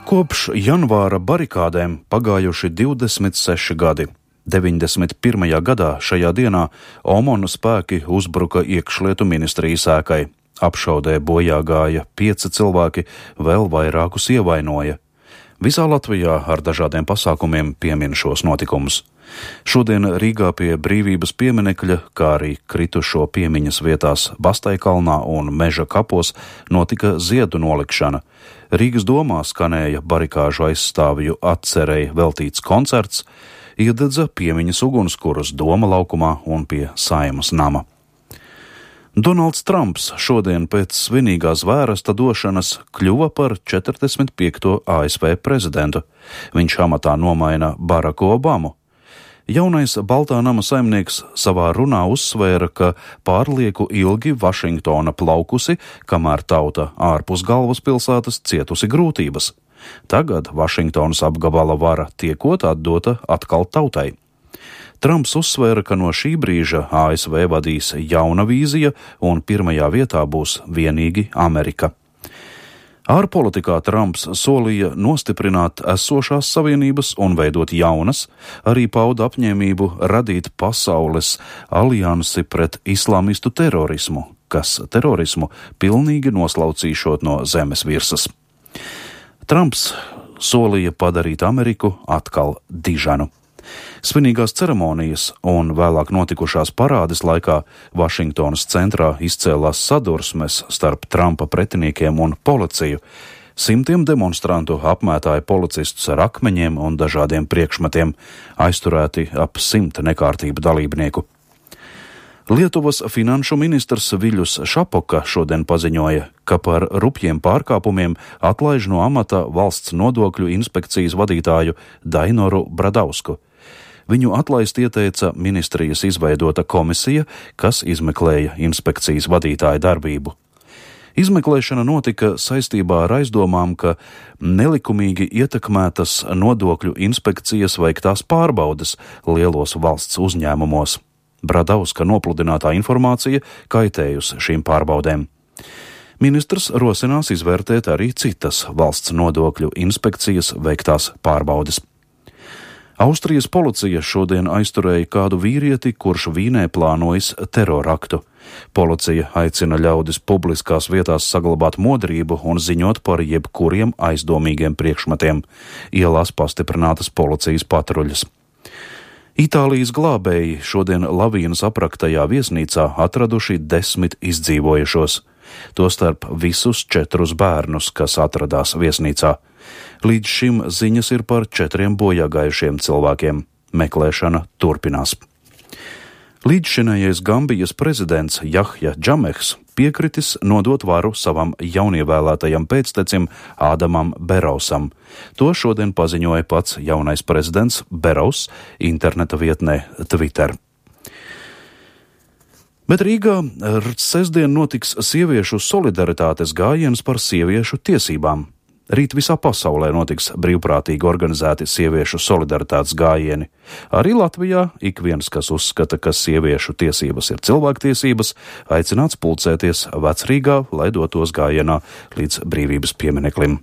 Kopš janvāra barikādēm pagājuši 26 gadi. 91. gadā šajā dienā Omona spēki uzbruka iekšlietu ministrijas ēkai. Apšaudē bojā gāja 5 cilvēki, vēl vairākus ievainoja. Visā Latvijā ar dažādiem pasākumiem piemin šos notikumus. Šodien Rīgā pie Brīvības pieminekļa, kā arī kritušo piemiņas vietās Basteikalnā un Meža kapos notika ziedu nolikšana. Rīgas domā skanēja barikāžu aizstāvju atcerei veltīts koncerts, iededza piemiņas ugunskurus Doma laukumā un pie Saeimas nama. Donalds Trumps šodien pēc svinīgās vēresta došanas kļuva par 45. ASV prezidentu. Viņš amatā nomaina Baraku Obamu. Jaunais Baltā nama saimnieks savā runā uzsvēra, ka pārlieku ilgi Vašingtona plaukusi, kamēr tauta ārpus galvaspilsētas cietusi grūtības. Tagad Vašingtonas apgabala vara tiekot atdota atkal tautai. Trumps uzsvēra, ka no šī brīža ASV vadīs jauna vīzija un pirmajā vietā būs vienīgi Amerika. Ārpolitikā Trumps solīja nostiprināt esošās savienības un veidot jaunas, arī pauda apņēmību radīt pasaules aliansi pret islamistu terorismu, kas terorismu pilnīgi noslaucīšot no zemes virsmas. Trumps solīja padarīt Ameriku atkal dižanu. Svinīgās ceremonijas un vēlāk notikušās parādes laikā Vašingtonas centrā izcēlās sadursmes starp Trumpa pretiniekiem un policiju. Simtiem demonstrantu apmētāja policistus ar akmeņiem un dažādiem priekšmetiem, aizturēti ap 100 nekārtību dalībnieku. Lietuvas finanšu ministrs Viļus Šapoka šodien paziņoja, ka par rupjiem pārkāpumiem atlaiž no amata valsts nodokļu inspekcijas vadītāju Dainoru Bradausku. Viņu atlaist ieteica ministrijas izveidota komisija, kas izmeklēja inspekcijas vadītāja darbību. Izmeklēšana notika saistībā ar aizdomām, ka nelikumīgi ietekmētas nodokļu inspekcijas veiktās pārbaudes lielos valsts uzņēmumos. Bradauska nopludinātā informācija kaitējusi šīm pārbaudēm. Ministrs rosinās izvērtēt arī citas valsts nodokļu inspekcijas veiktās pārbaudes. Austrijas policija šodien aizturēja kādu vīrieti, kurš Vīnē plānojis teroraktu. Policija aicina ļaudis publiskās vietās saglabāt modrību un ziņot par jebkuriem aizdomīgiem priekšmetiem. Ielās pastiprinātas policijas patruļas. Itālijas glābēji šodien lavīnas apraktajā viesnīcā atraduši 10 izdzīvojušos, tostarp visus 4 bērnus, kas atradās viesnīcā. Līdz šim ziņas ir par 4 bojāgājušiem cilvēkiem. Meklēšana turpinās. Līdzšinējais Gambijas prezidents Jahja Džamehs piekritis nodot varu savam jaunievēlētajam pēctecim Ādamam Berausam. To šodien paziņoja pats jaunais prezidents Beraus interneta vietnē Twitter. Bet Rīgā sestdien notiks sieviešu solidaritātes gājiens par sieviešu tiesībām. Rīt visā pasaulē notiks brīvprātīgi organizēti sieviešu solidaritātes gājieni. Arī Latvijā ik viens, kas uzskata, ka sieviešu tiesības ir cilvēktiesības, aicināts pulcēties Vecrīgā, lai dotos gājienā līdz Brīvības piemineklim.